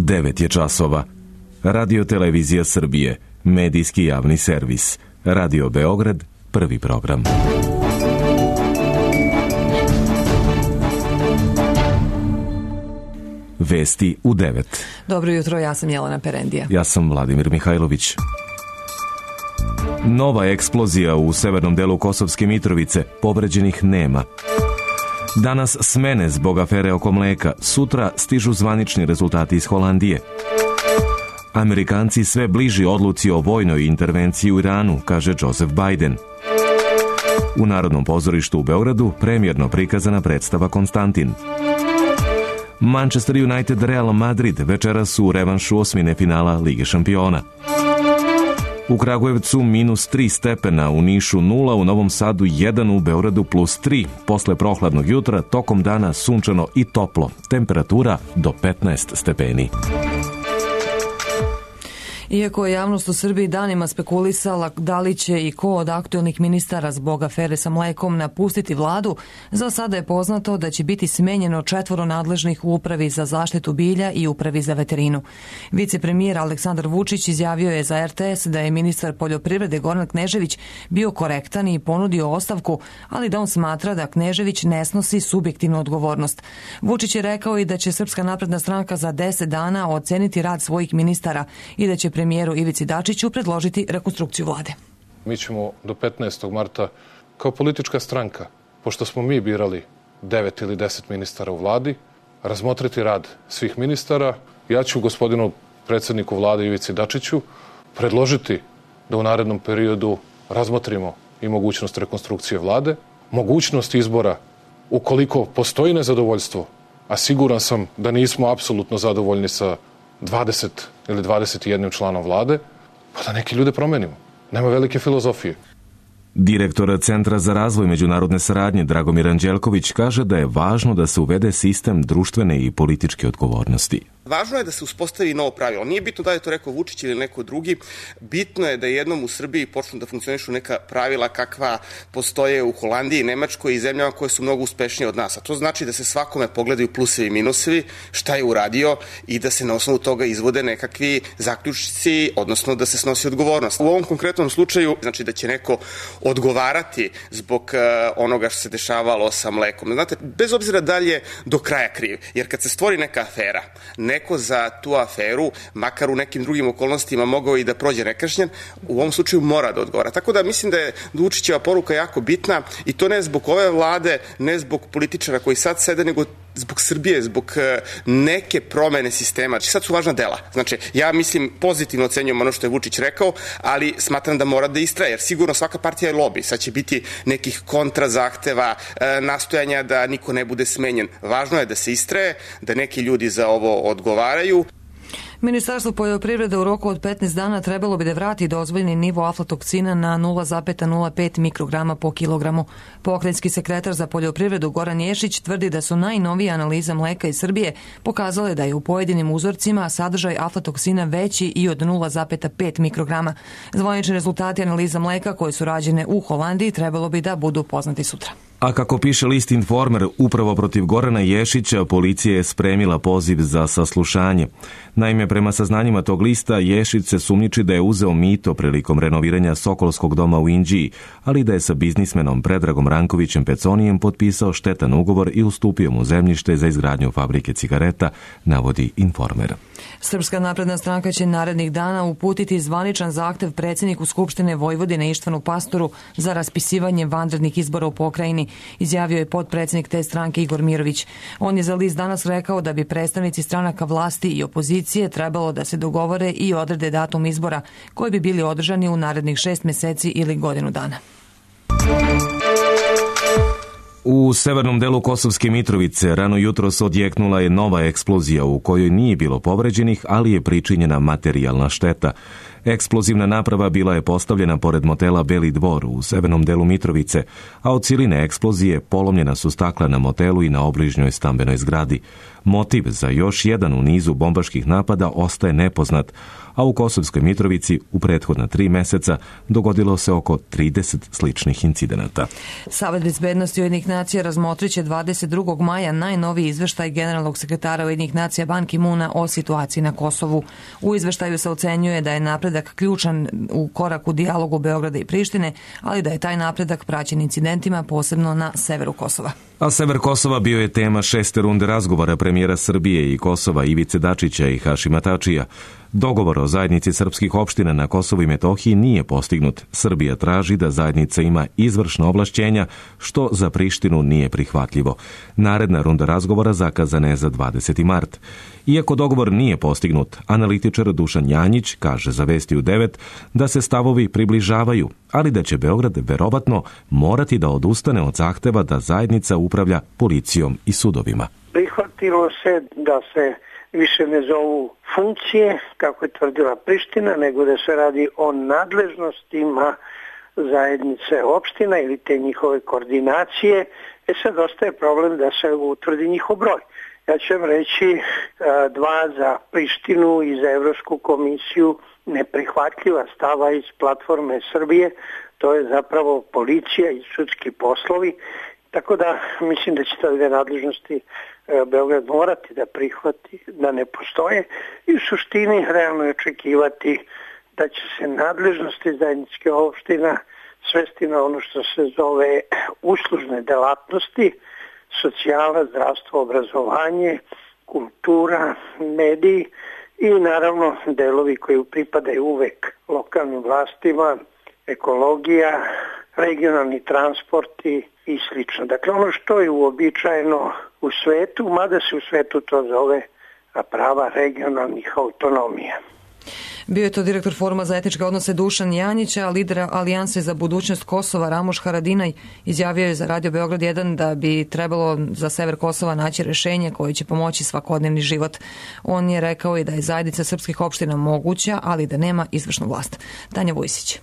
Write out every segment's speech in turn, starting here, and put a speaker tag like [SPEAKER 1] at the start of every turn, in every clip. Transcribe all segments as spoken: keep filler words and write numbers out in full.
[SPEAKER 1] devet je časova. Radio Televizija Srbije, medijski javni servis. Radio Beograd, prvi program. Vesti u devet.
[SPEAKER 2] Dobro jutro, ja sam Jelena Perendija.
[SPEAKER 1] Ja sam Vladimir Mihajlović. Nova eksplozija u severnom delu Kosovske Mitrovice, povređenih nema. Danas smene zbog afere oko mleka, sutra stižu zvanični rezultati iz Holandije. Amerikanci sve bliži odluci o vojnoj intervenciji u Iranu, kaže Joseph Biden. U Narodnom pozorištu u Beogradu premijerno prikazana predstava Konstantin. Manchester United Real Madrid večeras u revanšu osmine finala Lige šampiona. U Kragujevcu minus tri stepena, u Nišu nula, u Novom Sadu jedan, u Beogradu plus tri. Posle prohladnog jutra, tokom dana sunčano i toplo. Temperatura do petnaest stepeni.
[SPEAKER 2] Iako je javnost u Srbiji danima spekulisala da li će i ko od aktuelnih ministara zbog afere sa mlekom napustiti vladu, za sada je poznato da će biti smenjeno četvoro nadležnih u Upravi za zaštitu bilja i Upravi za veterinu. Vicepremijer Aleksandar Vučić izjavio je za R T S da je ministar poljoprivrede Goran Knežević bio korektan i ponudio ostavku, ali da on smatra da Knežević ne snosi subjektivnu odgovornost. Vučić je rekao i da će Srpska napredna stranka za deset dana oceniti rad svojih ministara i da će premijeru Ivici Dačiću predložiti rekonstrukciju vlade.
[SPEAKER 3] Mi ćemo do petnaestog marta kao politička stranka, pošto smo mi birali devet ili deset ministara u vladi, razmotriti rad svih ministara. Ja ću gospodinu predsjedniku vlade Ivici Dačiću predložiti da u narednom periodu razmotrimo i mogućnost rekonstrukcije vlade, mogućnost izbora ukoliko postoji nezadovoljstvo, a siguran sam da nismo apsolutno zadovoljni sa dvadeset ili dvadeset jedan članom vlade, pa da neke ljude promenimo. Nema velike filozofije.
[SPEAKER 1] Direktor Centra za razvoj međunarodne saradnje Dragomir Anđelković kaže da je važno da se uvede sistem društvene i političke odgovornosti.
[SPEAKER 4] Važno je da se uspostavi novo pravilo. Nije bitno da je to rekao Vučić ili neko drugi. Bitno je da jednom u Srbiji počnu da funkcionišu neka pravila kakva postoje u Holandiji, Nemačkoj i zemljama koje su mnogo uspešnije od nas. A to znači da se svakome pogledaju plusevi i minusevi, šta je uradio i da se na osnovu toga izvode nekakvi zaključci, odnosno da se snosi odgovornost. U ovom konkretnom slučaju znači da će neko odgovarati zbog onoga što se dešavalo sa mlekom. Znate, bez obzira da li je do kraja kriv, jer kad se stvori neka afera, neko za tu aferu, makar u nekim drugim okolnostima mogao i da prođe nekažnjen, u ovom slučaju mora da odgovara. Tako da mislim da je Vučićeva poruka jako bitna i to ne zbog ove vlade, ne zbog političara koji sad sede, nego zbog Srbije, zbog neke promene sistema. Sad su važna dela. Znači, ja mislim, pozitivno ocenjujem ono što je Vučić rekao, ali smatram da mora da istraje, jer sigurno svaka partija je lobi. Sad će biti nekih kontrazahteva, nastojanja da niko ne bude smenjen. Važno je da se istraje, da neki ljudi za ovo odgovaraju.
[SPEAKER 2] Ministarstvo poljoprivrede u roku od petnaest dana trebalo bi da vrati dozvoljeni nivo aflatoksina na nula zarez nula pet mikrograma po kilogramu. Pokrajinski sekretar za poljoprivredu Goran Ješić tvrdi da su najnovije analize mleka iz Srbije pokazale da je u pojedinim uzorcima sadržaj aflatoksina veći i od nula zarez pet mikrograma. Zvanični rezultati analiza mleka koje su rađene u Holandiji trebalo bi da budu poznati sutra.
[SPEAKER 1] A kako piše list Informer, upravo protiv Gorana Ješića policija je spremila poziv za saslušanje. Naime, prema saznanjima tog lista, Ješić se sumnjiči da je uzeo mito prilikom renoviranja Sokolskog doma u Inđiji, ali da je sa biznismenom Predragom Rankovićem Peconijem potpisao štetan ugovor i ustupio mu zemljište za izgradnju fabrike cigareta, navodi Informer.
[SPEAKER 2] Srpska napredna stranka će narednih dana uputiti zvaničan zahtev predsjedniku Skupštine Vojvodine Ištvanu Pastoru za raspisivanje vanrednih izbora u pokrajini, izjavio je potpredsjednik te stranke Igor Mirović. On je za list Danas rekao da bi predstavnici stranaka vlasti i opozicije trebalo da se dogovore i odrede datum izbora koji bi bili održani u narednih šest meseci ili godinu dana.
[SPEAKER 1] U severnom delu Kosovske Mitrovice rano jutros odjeknula je nova eksplozija u kojoj nije bilo povređenih, ali je pričinjena materijalna šteta. Eksplozivna naprava bila je postavljena pored motela Beli dvor u severnom delu Mitrovice, a od siline eksplozije polomljena su stakla na motelu i na obližnjoj stambenoj zgradi. Motiv za još jedan u nizu bombaških napada ostaje nepoznat, a u Kosovskoj Mitrovici u prethodna tri meseca dogodilo se oko trideset sličnih incidenata.
[SPEAKER 2] Savet bezbednosti Ujedinjenih nacija razmotrit će dvadeset drugog maja najnoviji izveštaj generalnog sekretara Ujedinjenih nacija Ban Ki-moona o situaciji na Kosovu. U izveštaju se ocenjuje da je napredak ključan u koraku dijalogu Beograda i Prištine, ali da je taj napredak praćen incidentima, posebno na severu Kosova.
[SPEAKER 1] A sever Kosova bio je tema šeste runde razgovora premijera Srbije i Kosova Ivice Dačića i Hašima Tačija. Dogovor o zajednici srpskih opština na Kosovu i Metohiji nije postignut. Srbija traži da zajednica ima izvršna ovlašćenja, što za Prištinu nije prihvatljivo. Naredna runda razgovora zakazana je za dvadeseti mart. Iako dogovor nije postignut, analitičar Dušan Janjić kaže za Vesti u devet da se stavovi približavaju, ali da će Beograd verovatno morati da odustane od zahteva da zajednica upravlja policijom i sudovima.
[SPEAKER 5] Prihvatilo se da se više ne zovu funkcije, kako je tvrdila Priština, nego da se radi o nadležnostima zajednice opština ili te njihove koordinacije. E sad ostaje problem da se utvrdi njihov broj. Ja ću vam reći dva za Prištinu i za Evropsku komisiju neprihvatljiva stava iz platforme Srbije, to je zapravo policija i sudski poslovi. Tako da mislim da će te dve nadležnosti Beograd morati da prihvati, da ne postoje i u suštini realno je očekivati da će se nadležnosti zajedničke opština svesti na ono što se zove uslužne delatnosti, socijala, zdravstvo, obrazovanje, kultura, mediji i naravno delovi koji pripadaju uvek lokalnim vlastima, ekologija, regionalni transporti i slično. Dakle, ono što je uobičajeno u svetu, mada se u svetu to zove prava regionalnih autonomija.
[SPEAKER 2] Bio je to direktor Foruma za etičke odnose Dušan Janjić, a lider Alijanse za budućnost Kosova Ramoš Haradinaj izjavio je za Radio Beograd jedan da bi trebalo za sever Kosova naći rešenje koje će pomoći svakodnevni život. On je rekao i da je zajednica srpskih opština moguća, ali da nema izvršnu vlast. Tanja Vujsić.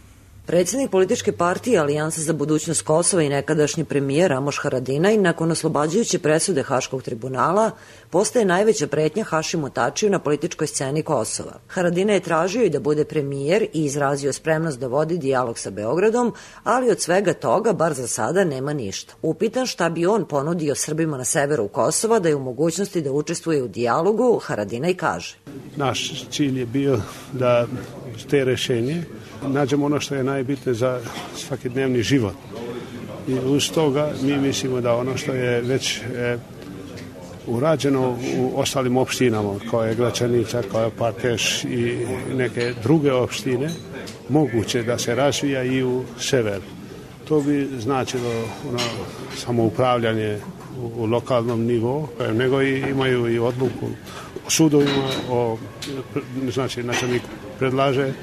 [SPEAKER 6] Predsjednik političke partije Alijanse za budućnost Kosova i nekadašnji premijer Ramoš Haradinaj nakon oslobađajuće presude Haškog tribunala postaje najveća pretnja Hašimu Tačiju na političkoj sceni Kosova. Haradinaj je tražio i da bude premijer i izrazio spremnost da vodi dijalog sa Beogradom, ali od svega toga, bar za sada, nema ništa. Upitan šta bi on ponudio Srbima na severu Kosova da je u mogućnosti da učestvuje u dijalogu, Haradinaj kaže.
[SPEAKER 7] Naš cilj je bio da te rešenje nađemo ono što je najbitnije za svakodnevni život. I uz toga mi mislimo da ono što je već e, urađeno u ostalim opštinama, kao je Gračanica, kao je Parkeš i neke druge opštine, moguće da se razvija i u severu. To bi značilo ono, samoupravljanje u, u lokalnom nivou, nego i imaju i odluku o sudovima, o, znači načelnik predlaže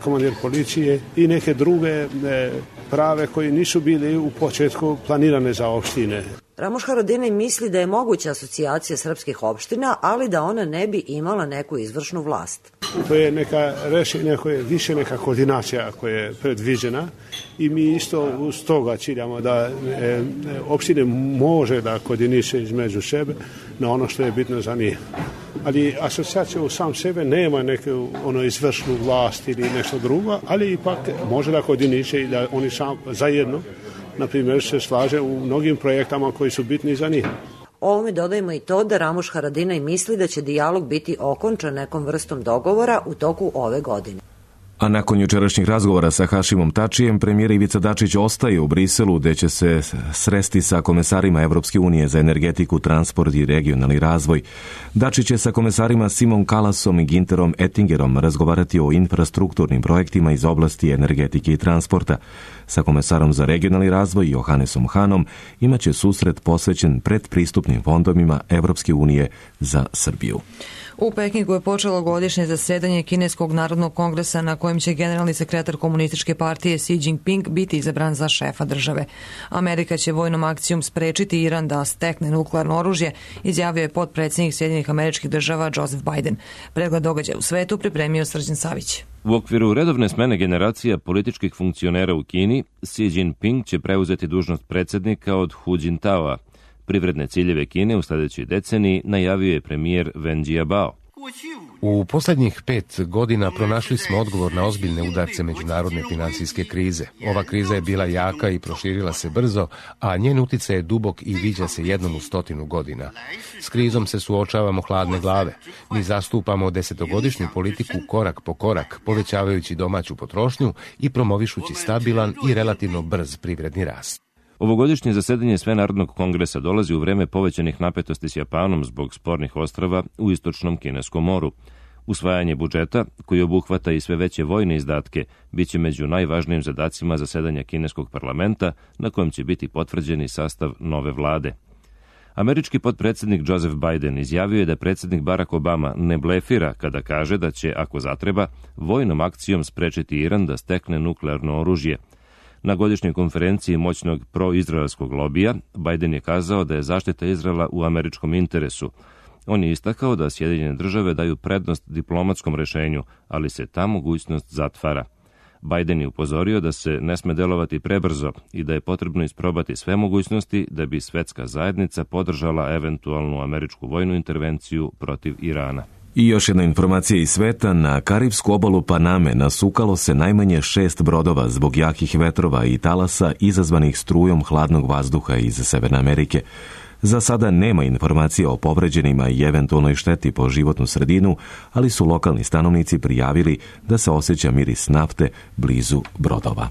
[SPEAKER 7] komandir policije i neke druge prave koji nisu bili u početku planirane za opštine.
[SPEAKER 6] Ramoš Haradinaj misli da je moguća asocijacija srpskih opština, ali da ona ne bi imala neku izvršnu vlast.
[SPEAKER 7] To je neka rešenja koja je više neka koordinacija koja je predviđena i mi isto uz toga ciljamo da e, opštine može da koordiniše između sebe na ono što je bitno za njih. Ali asocijacija u sam sebe nema neku ono izvršnu vlast ili nešto drugo, ali ipak može da koordiniše i da oni sam zajedno, na primjer, se slaže u mnogim projektama koji su bitni za njih.
[SPEAKER 6] Ovome dodajemo i to da Ramoš Haradinaj misli da će dijalog biti okončan nekom vrstom dogovora u toku ove godine.
[SPEAKER 1] A nakon jučerašnjih razgovora sa Hašimom Tačijem, premijer Ivica Dačić ostaje u Briselu, gde će se sresti sa komesarima Evropske unije za energetiku, transport i regionalni razvoj. Dačić će sa komesarima Simon Kalasom i Ginterom Ettingerom razgovarati o infrastrukturnim projektima iz oblasti energetike i transporta. Sa komesarom za regionalni razvoj Johannesom Hanom imaće susret posvećen predpristupnim fondovima Evropske unije za Srbiju.
[SPEAKER 2] U Pekingu je počelo godišnje zasedanje Kineskog narodnog kongresa na kojem će generalni sekretar komunističke partije Xi Jinping biti izabran za šefa države. Amerika će vojnom akcijom sprečiti Iran da stekne nuklearno oružje, izjavio je potpredsjednik Sjedinjenih Američkih Država Joseph Biden. Pregled događaja u svetu pripremio Srđan Savić.
[SPEAKER 8] U okviru redovne smene generacija političkih funkcionera u Kini, Xi Jinping će preuzeti dužnost predsjednika od Hu Jintaoa. Privredne ciljeve Kine u sljedećoj deceniji najavio je premijer Wen Jiabao.
[SPEAKER 9] U posljednjih pet godina pronašli smo odgovor na ozbiljne udarce međunarodne financijske krize. Ova kriza je bila jaka i proširila se brzo, a njen utjecaj je dubok i viđa se jednom u stotinu godina. S krizom se suočavamo hladne glave. Mi zastupamo desetogodišnju politiku korak po korak, povećavajući domaću potrošnju i promovišući stabilan i relativno brz privredni rast.
[SPEAKER 8] Ovogodišnje zasedanje Svenarodnog kongresa dolazi u vreme povećanih napetosti s Japanom zbog spornih ostrava u istočnom Kineskom moru. Usvajanje budžeta, koji obuhvata i sve veće vojne izdatke, bit će među najvažnijim zadacima zasedanja kineskog parlamenta, na kojem će biti potvrđeni sastav nove vlade. Američki potpredsjednik Joseph Biden izjavio je da predsjednik Barack Obama ne blefira kada kaže da će, ako zatreba, vojnom akcijom sprečiti Iran da stekne nuklearno oružje. Na godišnjoj konferenciji moćnog proizraelskog lobija, Biden je kazao da je zaštita Izraela u američkom interesu. On je istakao da Sjedinjene države daju prednost diplomatskom rešenju, ali se ta mogućnost zatvara. Biden je upozorio da se ne sme delovati prebrzo i da je potrebno isprobati sve mogućnosti da bi svetska zajednica podržala eventualnu američku vojnu intervenciju protiv Irana.
[SPEAKER 1] I još jedna informacija iz sveta, na Karibsku obalu Paname nasukalo se najmanje šest brodova zbog jakih vetrova i talasa izazvanih strujom hladnog vazduha iz Severne Amerike. Za sada nema informacija o povređenima i eventualnoj šteti po životnu sredinu, ali su lokalni stanovnici prijavili da se osjeća miris nafte blizu brodova.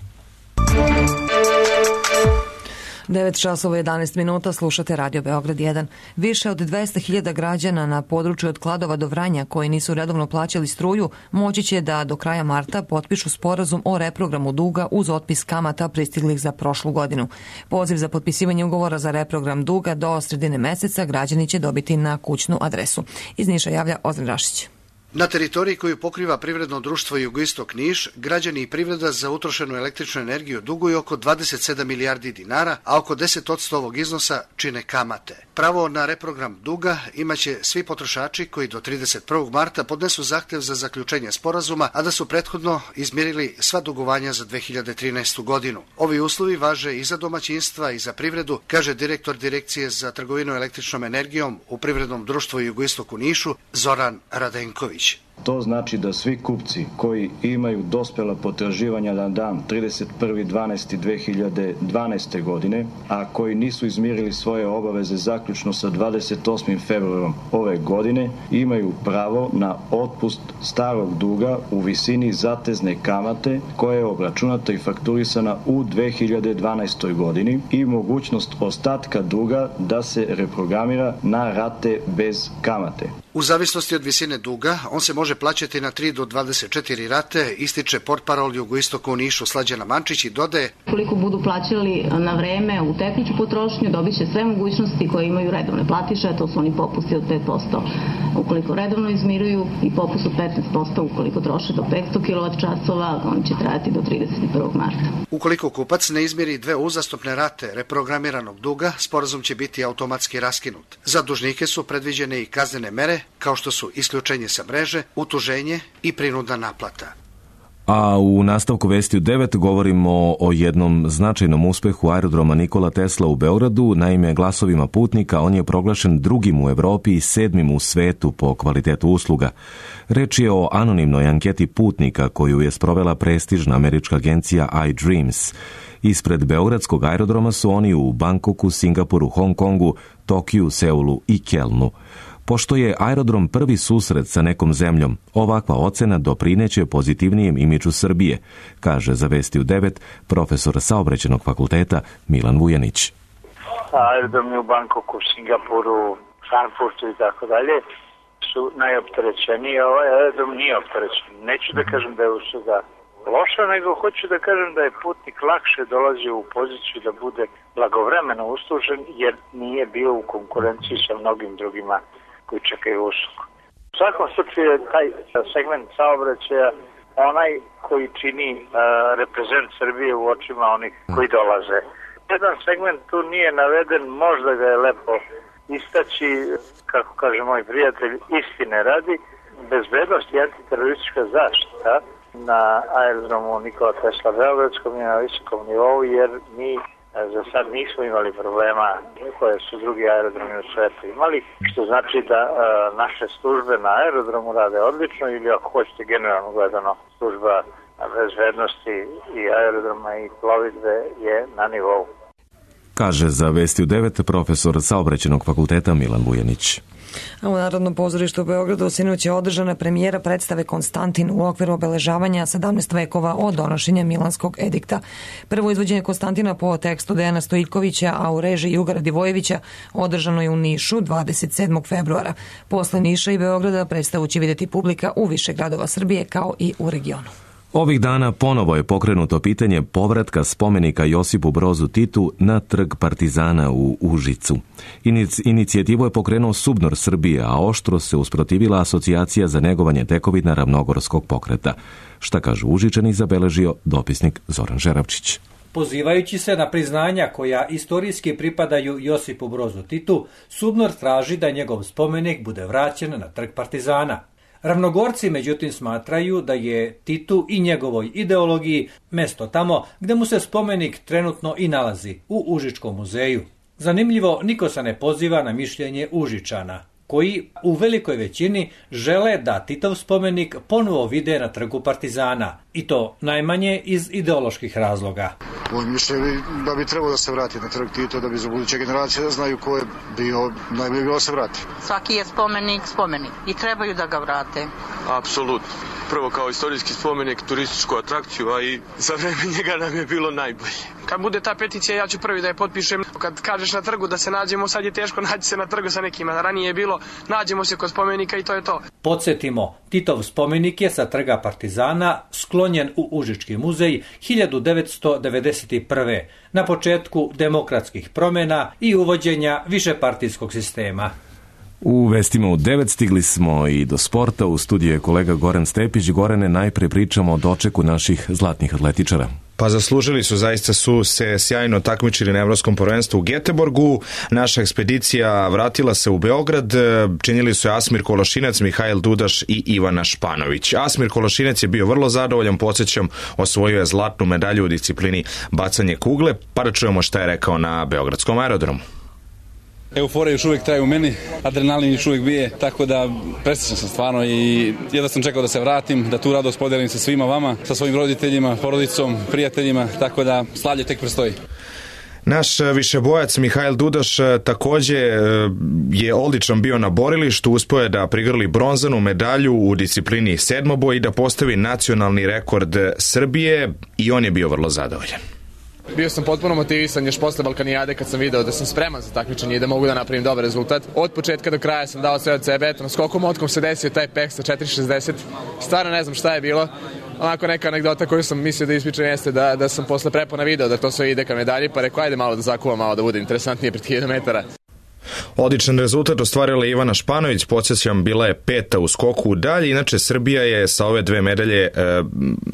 [SPEAKER 2] devet časova jedanaest minuta, slušate Radio Beograd jedan. Više od dvesta hiljada građana na području od Kladova do Vranja koji nisu redovno plaćali struju moći će da do kraja marta potpišu sporazum o reprogramu duga uz otpis kamata pristiglih za prošlu godinu. Poziv za potpisivanje ugovora za reprogram duga do sredine meseca građani će dobiti na kućnu adresu. Iz Niša javlja Ozren Rašić.
[SPEAKER 10] Na teritoriji koju pokriva privredno društvo Jugoistok Niš, građani i privreda za utrošenu električnu energiju duguju oko dvadeset sedam milijardi dinara, a oko deset posto ovog iznosa čine kamate. Pravo na reprogram duga imaće svi potrošači koji do trideset prvog marta podnesu zahtev za zaključenje sporazuma, a da su prethodno izmirili sva dugovanja za dve hiljade trinaestu godinu. Ovi uslovi važe i za domaćinstva i za privredu, kaže direktor Direkcije za trgovinu električnom energijom u privrednom društvu Jugoistoku Nišu, Zoran Radenković.
[SPEAKER 11] To znači da svi kupci koji imaju dospela potraživanja na dan trideset prvi decembar dve hiljade dvanaeste. godine, a koji nisu izmirili svoje obaveze zaključno sa dvadeset osmim februarom ove godine, imaju pravo na otpust starog duga u visini zatezne kamate koja je obračunata i fakturisana u dve hiljade dvanaestoj. godini i mogućnost ostatka duga da se reprogramira na rate bez kamate.
[SPEAKER 10] U zavisnosti od visine duga, on se može plaćati na tri do dvadeset četiri rate, ističe portparol Jugoistoka u Nišu Slađana Mančić i dodaje:
[SPEAKER 12] Koliko budu plaćali na vreme u tekuću potrošnju, dobit će sve mogućnosti koje imaju redovne platiše, a to su oni popusti od pet posto ukoliko redovno izmiruju i popust od petnaest posto ukoliko troše do petsto kilovat časova, oni će trajati do trideset prvog marta.
[SPEAKER 10] Ukoliko kupac ne izmiri dve uzastopne rate reprogramiranog duga, sporazum će biti automatski raskinut. Za dužnike su predviđene i kaznene mere, kao što su isključenje sa mreže, utuženje i prinudna naplata.
[SPEAKER 1] A u nastavku vesti u devet govorimo o jednom značajnom uspehu aerodroma Nikola Tesla u Beogradu. Naime, glasovima putnika on je proglašen drugim u Evropi i sedmim u svetu po kvalitetu usluga. Reč je o anonimnoj anketi putnika koju je sprovela prestižna američka agencija iDreams. Ispred beogradskog aerodroma su oni u Bangkoku, Singapuru, Hong Kongu, Tokiju, Seulu i Kelnu. Pošto je aerodrom prvi susret sa nekom zemljom, ovakva ocena doprineće pozitivnijem imidžu Srbije, kaže za Vesti u devet profesor Saobraćajnog fakulteta Milan Vujanić.
[SPEAKER 13] Aerodromi u Bangkoku, Singapuru, Frankfurtu i tako dalje su najopterećeniji, a ovaj aerodrom nije opterećen. Neću da kažem da je usluga loša, nego hoću da kažem da je putnik lakše dolazio u poziciju da bude blagovremeno uslužen, jer nije bio u konkurenciji sa mnogim drugima koji čekaju uslugu. svakom slučaju je taj segment saobraćaja onaj koji čini uh, reprezent Srbije u očima onih koji dolaze. Jedan segment tu nije naveden, možda ga je lepo istaći, kako kaže moj prijatelj, istine radi, bezbednost i antiteroristička zaštita na aerodromu Nikola Tesla Beogradskom je na visokom nivou, jer mi za sad nismo imali problema koje su drugi aerodromi u svetu imali, što znači da a, naše službe na aerodromu rade odlično, ili ako hoćete generalno gledano, služba bezbednosti i aerodroma i plovidbe je na nivou.
[SPEAKER 1] Kaže za Vesti u devet profesor Saobraćajnog fakulteta Milan Vujanić.
[SPEAKER 2] A u Narodnom pozorištu u Beogradu sinoć je održana premijera predstave Konstantin u okviru obeležavanja sedamnaest vekova od donošenja Milanskog edikta. Prvo izvođenje Konstantina po tekstu Dejana Stojikovića, a u režiji Ugara Divojevića, održano je u Nišu dvadeset sedmog februara. Posle Niša i Beograda predstavu će vidjeti publika u više gradova Srbije kao i u regionu.
[SPEAKER 1] Ovih dana ponovo je pokrenuto pitanje povratka spomenika Josipu Brozu Titu na Trg Partizana u Užicu. Inic, inicijativu je pokrenuo Subnor Srbije, a oštro se usprotivila Asocijacija za negovanje tekovina Ravnogorskog pokreta. Šta kaže Užičani, zabeležio dopisnik Zoran Žeravčić.
[SPEAKER 14] Pozivajući se na priznanja koja istorijski pripadaju Josipu Brozu Titu, Subnor traži da njegov spomenik bude vraćen na Trg Partizana. Ravnogorci međutim smatraju da je Titu i njegovoj ideologiji mesto tamo gde mu se spomenik trenutno i nalazi, u Užičkom muzeju. Zanimljivo, niko se ne poziva na mišljenje Užičana, koji u velikoj većini žele da Titov spomenik ponovo vide na Trgu Partizana, i to najmanje iz ideoloških razloga.
[SPEAKER 15] On misle da bi trebalo da se vrati na Trg Tito, da bi za buduće generacije da znaju ko je bio, najbolje bilo da se vrati.
[SPEAKER 16] Svaki je spomenik spomenik i trebaju da ga vrate.
[SPEAKER 17] Apsolutno. Prvo kao istorijski spomenik, turističku atrakciju, a i za vreme njega nam je bilo najbolje.
[SPEAKER 18] Kad bude ta peticija, ja ću prvi da je potpišem. Kad kažeš na trgu da se nađemo, sad je teško naći se na trgu sa nekima. Ranije je bilo, nađemo se kod spomenika i to je to.
[SPEAKER 14] Podsjetimo, Titov spomenik je sa Trga Partizana sklonjen u Užički muzej hiljadu devetsto devedeset prve. na početku demokratskih promjena i uvođenja višepartijskog sistema.
[SPEAKER 1] U vestima u devet stigli smo i do sporta. U studiju je kolega Goran Stepić. Gorane, najpre pričamo o dočeku naših zlatnih atletičara.
[SPEAKER 19] Pa zaslužili su, zaista su se sjajno takmičili na Evropskom prvenstvu u Göteborgu. Naša ekspedicija vratila se u Beograd. Činili su je Asmir Kološinac, Mihajl Dudaš i Ivana Španović. Asmir Kološinac je bio vrlo zadovoljan, podsjećam, osvojio je zlatnu medalju u disciplini bacanje kugle. Pa da čujemo šta je rekao na beogradskom aerodromu.
[SPEAKER 20] Euforija još uvijek traje u meni, adrenalin još uvijek bije, tako da presrećan sam stvarno i jedva sam čekao da se vratim, da tu radost podelim sa svima vama, sa svojim roditeljima, porodicom, prijateljima, tako da slavlje tek prestoji.
[SPEAKER 19] Naš višebojac Mihajl Dudaš takođe je odličan bio na borilištu, uspeo je da prigrli bronzanu medalju u disciplini sedmoboj i da postavi nacionalni rekord Srbije i on je bio vrlo zadovoljan.
[SPEAKER 21] Bio sam potpuno motivisan još posle Balkanijade kad sam video da sam spreman za takmičenje i da mogu da napravim dobar rezultat. Od početka do kraja sam dao sve od sebe, eto na skokom otkom se desio taj peh sa četiri šezdeset. Stvarno ne znam šta je bilo. Onako neka anegdota koju sam mislio da ispričam jeste da, da sam posle prepona video da to sve ide ka medalji, pa rekao ajde malo da zakuvam, malo da bude interesantnije pred hiljadu metara.
[SPEAKER 19] Odličan rezultat ostvarila Ivana Španović, podsjećam, bila je peta u skoku u dalje, inače Srbija je sa ove dve medalje e,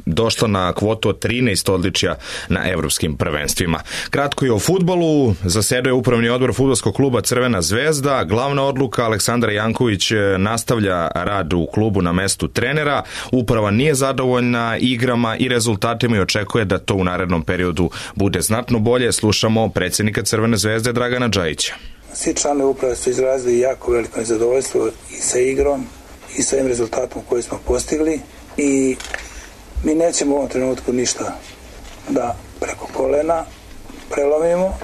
[SPEAKER 19] došla na kvotu od trinaest odličja na evropskim prvenstvima. Kratko i o fudbalu, zasedao je upravni odbor fudbalskog kluba Crvena zvezda, glavna odluka Aleksandar Janković nastavlja rad u klubu na mestu trenera, uprava nije zadovoljna igrama i rezultatima i očekuje da to u narednom periodu bude znatno bolje. Slušamo predsjednika Crvene zvezde Dragana Džajića.
[SPEAKER 22] Svi članovi uprave su izrazili jako veliko nezadovoljstvo i sa igrom i sa ovim rezultatom koji smo postigli i mi nećemo u ovom trenutku ništa da preko kolena prelomimo.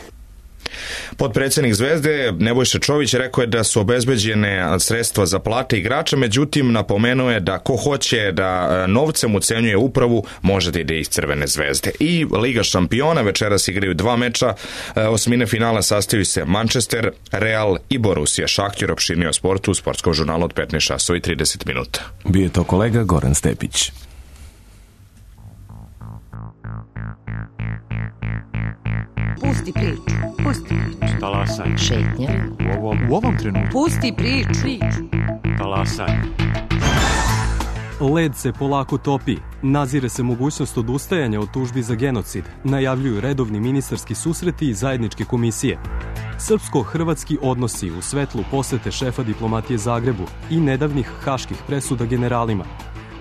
[SPEAKER 19] Potpredsjednik Zvezde Nebojša Čović rekao je da su obezbeđene sredstva za plate igrača, međutim napomenuo je da ko hoće da novcem ucenjuje upravu može da ide iz Crvene zvezde. I Liga šampiona, večeras igraju dva meča, osmine finala sastavljaju se Manchester, Real i Borussia. Šahtjor opširnije o sportu u sportskom žurnalu od petnaest časova i trideset minuta.
[SPEAKER 1] Bio je to kolega Goran Stepić.
[SPEAKER 23] Pusti priču, pusti priču.
[SPEAKER 24] Talasaj.
[SPEAKER 23] Šetnja.
[SPEAKER 24] U ovom, u ovom trenutku.
[SPEAKER 23] Pusti priču.
[SPEAKER 24] Talasaj.
[SPEAKER 3] Led se polako topi, nazire se mogućnost odustajanja od tužbi za genocid, najavljuju redovni ministarski susreti i zajedničke komisije. Srpsko-hrvatski odnosi u svetlu posete šefa diplomatije Zagrebu i nedavnih haških presuda generalima.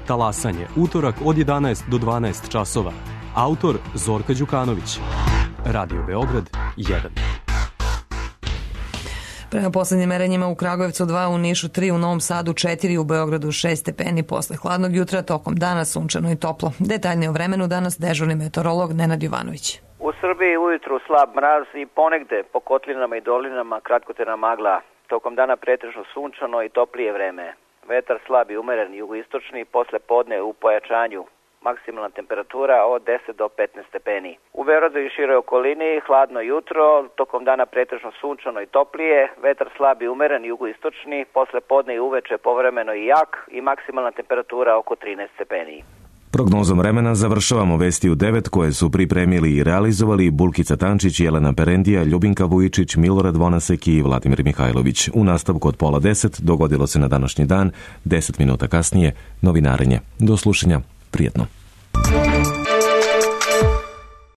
[SPEAKER 3] Talasanje, utorak od jedanaest do dvanaest časova. Autor Zorka Đukanović. Radio Beograd jedan.
[SPEAKER 2] Prema poslednjim merenjima u Kragujevcu dva, u Nišu tri, u Novom Sadu četiri, u Beogradu šest stepeni posle hladnog jutra, tokom dana sunčano i toplo. Detaljnije o vremenu danas dežurni meteorolog Nenad Jovanović.
[SPEAKER 4] U Srbiji ujutru slab mraz i ponegde po kotlinama i dolinama kratkotrajna magla. Tokom dana pretežno sunčano i toplije vreme. Vetar slab i umeren jugoistočni, posle podne u pojačanju. Maksimalna temperatura od deset do petnaest stepeni. U Beogradu i široj okolini hladno jutro, tokom dana pretežno sunčano i toplije, vetar slab i umeren jugoistočni, posle podne i uveče povremeno i jak i maksimalna temperatura oko trinaest stepeni.
[SPEAKER 1] Prognozom vremena završavamo vesti u devet koje su pripremili i realizovali Bulkica Tančić, Jelena Perendija, Ljubinka Vujičić, Milorad Vonasek i Vladimir Mihajlović. U nastavku od pola deset dogodilo se na današnji dan, deset minuta kasnije, novinarenje. Do slušanja, prijetno.